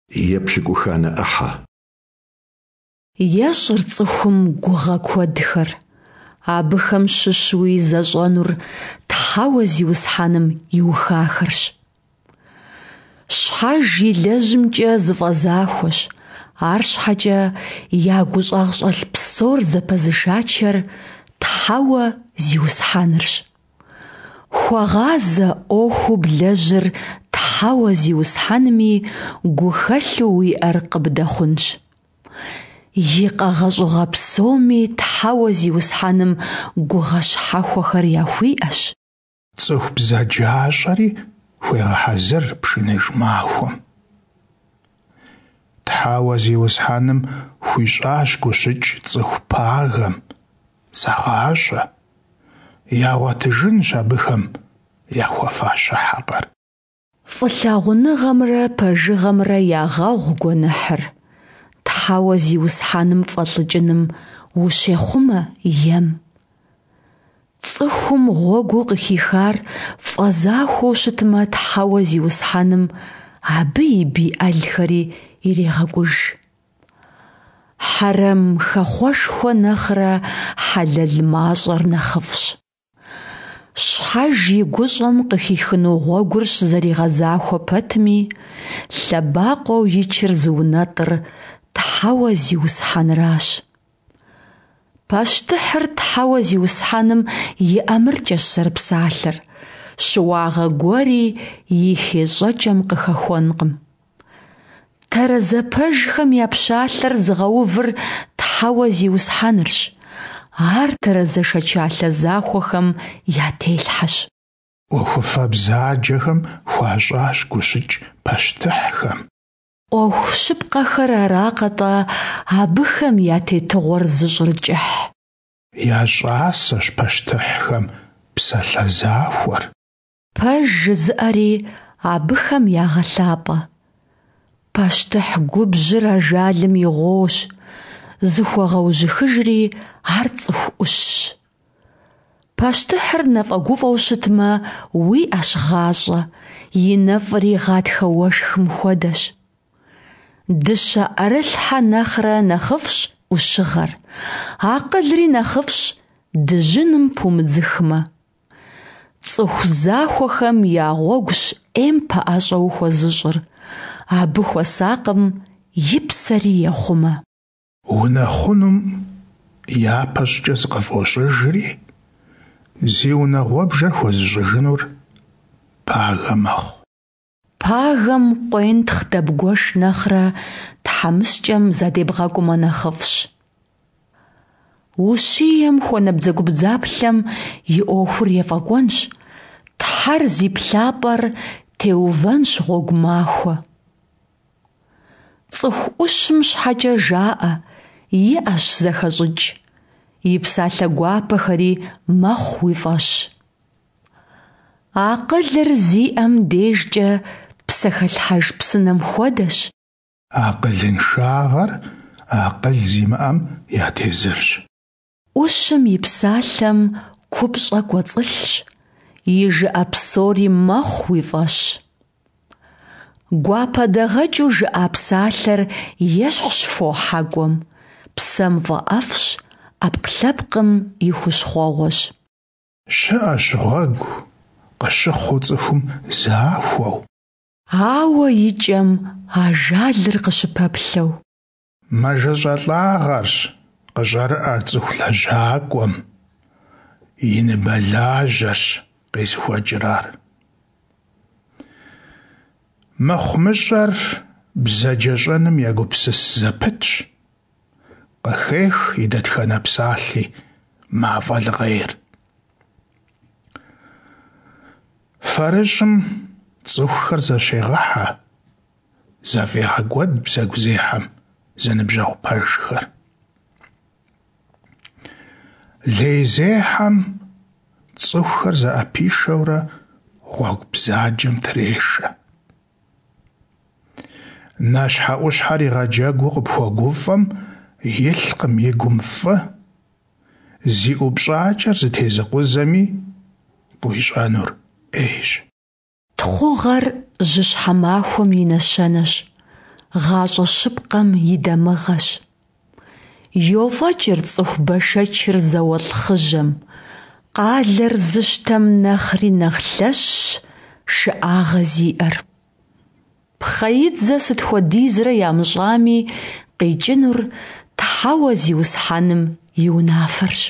Епщыкӏуханэ ӏыхьэ. Ещӏыр цӏыхум гугъэ куэдхэр, абыхэм щыщуи зэщӏэнур Тхьэуэ Зиусхьэным иухахэрщ. Щхьэж илэжьымкӏэ зыфӏэзахуэщ, арщхьэкӏэ я гущӏагъщӏэлъ псор зэпэзышачэр Тхьэуэ Зиусхьэнырщ. Хуэгъазэ ӏуэхуу блэжьыр Тхьэуэ Зиусхьэнми, гухэлъу уиӏэр къыбдэхъунщ. И къэгъэщӏыгъэ псоми Тхьэуэ Зиусхьэным гугъэ щхьэхуэхэр яхуиӏэщ. Цӏыху бзаджащӏэри хуегъэхьэзыр пшыныж махуэм. Тхьэуэ Зиусхьэным хуищӏащ гущыкӏ цӏыху пагэм, зэгъащӏэ, ягъуэтыжынщ абыхэм яхуэфащэ хьэкъыр. Фӏылъагъуныгъэмрэ пэжыгъэмрэ ягъэгъу гуэныхьыр, Тхьэуэ Зиусхьэным фӏэлӏыкӏыным ущехъумэ ем. Цӏыхум гъуэгуу къыхихар фӏэзахуэу щытмэ, Тхьэуэ Зиусхьэным абы и бий ӏэлхэри ирегъэкӏуж. Хьэрэм хэхъуэшхуэ нэхърэ хьэлэл мащӏэр нэхъыфӏщ. Щхьэж и гущӏэм къыхихыну гъуэгур щызэригъэзахуэ пэтми, лъэбакъуэу ичыр зыунэтӏыр Тхьэуэ Зиусхьэныращ. Пащтыхьыр Тхьэуэ Зиусхьэным и ӏэмыркӏэщ зэрыпсалъэр, щыуагъэ гуэри и хейщӏэкӏэм къыхэхуэнкъым. Тэрэзэ пэжхэм я пщалъэр зыгъэувыр Тхьэуэ Зиусхьэнырщ, ар тэрэзэ шэчалъэ захуэхэм я телъхьэщ. ӏуэхуфэ бзаджэхэм хуащӏащ гущыкӏ пащтыхьхэм. ӏуэху щыпкъэхэр аракъэ-тӏэ абыхэм я тетыгъуэр зыщӏыр кӏыхь? Я щӏасэщ пащтыхьхэм псалъэ захуэр. Пэж жызыӏэри абыхэм ягъэлъапӏэ. Пащтыхь губжьыр ажалым и гъуощ, зыхуэгъэужьыхыжри ар цӏыху ӏущщ. Пащтыхьыр нэфӏэгуфӏэу щытмэ, уиӏэщ гъащӏэ, и нэфӏри гъатхэ уэшхым хуэдэщ. Дыщэ ӏэрылъхьэ нэхърэ нэхъыфӏщ ӏущыгъэр, акъылри нэхъыфӏщ дыжьыным пумыдзыхмэ. Цӏыху захуэхэм я гъуэгущ ӏейм пэӏэщӏэ ухуэзыщӏыр, абы хуэсакъым и псэри ехъумэ. Унэхъунум япэщӏыкӏэ зыкъыфӏощӏыжри, зи унагъуэбжэр хуэзыщӏыжынур пагэ мэхъу. Пагэм къуентхъ дэбгуэш нэхърэ тхьэмыщкӏэм задебгъэкӏумэ нэхъыфӏщ. Ущием хуэнабдзэгубдзаплъэм и ӏуэхур ефӏэкӏуэнщ, Тхьэр зи плъапӏэр теувэнщ гъуэгу махуэ. Цӏыху ӏущым щхьэкӏэ жаӏэ, иӏэщ зэхэщӏыкӏ, и псалъэ гуапэхэри мэхъу уи фӏэщ. Акъылыр зиӏэм дежкӏэ псэхэлъхьэж псынэм хуэдэщ. Акъылыншагъэр акъыл зимыӏэм я тезырщ. ӏущым и псалъэм купщӏэ кӏуэцӏылъщ, и жыӏэ псори мэхъу уи фӏэщ. Гуапэдэгъэкӏыу жыӏа псалъэр ещхьщ фо хьэкӏуэм, псэм фӏэӏэфӏщ, ӏэпкълъэпкъым и хущхъуэгъуэщ. Щыӏэщ гъуэгу, къыщыхъуу цӏыхум захуэу. Ауэ и кӏэм ажалыр къыщыпэплъэу. Мэжэщӏэлӏагъэрщ къыщӏэрыӏэр цӏыху лэжьакӏуэм, и ныбэлажьэрщ къезыхуэкӏыр ар. Мыхъумыщӏэр бзаджэщӏэным егупсыс зэпытщ, къыхех и дэтхэнэ псалъи мафӏэ лыгъейр. Фэрыщӏым цӏыхухэр зэщегъыхьэ, зэфӏегъэкӏуэд бзэгузехьэм зэныбжьэгъу пэжхэр. Лейзехьэм цӏыхухэр зэӏэпишэурэ гъуэгу бзаджэм трешэ. Нэщхьэӏущхьэр игъэджэгуу къыпхуэгуфӏэм илъкъым и гум фӏы, зи ӏупщӏакӏэр зытезыкъузэми къыуищӏэнур ӏейщ. Тхъугъэр жьыщхьэ махуэм и нэщэнэщ. гъащӏэ щыпкъэм и дамыгъэщ. Йофӏэкӏыр цӏыху бэшэчыр зауэлӏ хъыжьэм, къалэр зыщтэм нэхъри нэхъ лъэщщ шыӏагъэ зиӏэр. Пхъэидзэ сыт хуэдизрэ ямыщӏами, къикӏынур Тхьэуэ Зиусхьэным и унафэрщ.